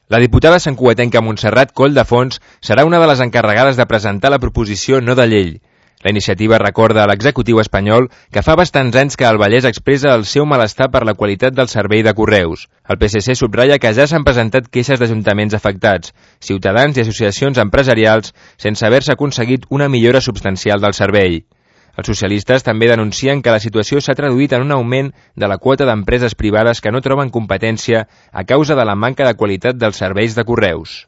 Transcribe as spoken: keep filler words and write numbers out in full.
La diputada santcugatenca Montserrat Colldefons serà una de les encarregades de presentar la proposició no de llei. La iniciativa recorda a l'executiu espanyol que fa bastants anys que el Vallès expressa el seu malestar per la qualitat del servei de correus. El P S C subratlla que ja s'han presentat queixes d'ajuntaments afectats, ciutadans i associacions empresarials sense haver-se aconseguit una millora substancial del servei. Els socialistes també denuncien que la situació s'ha traduït en un augment de la quota d'empreses privades que no troben competència a causa de la manca de qualitat dels serveis de correus.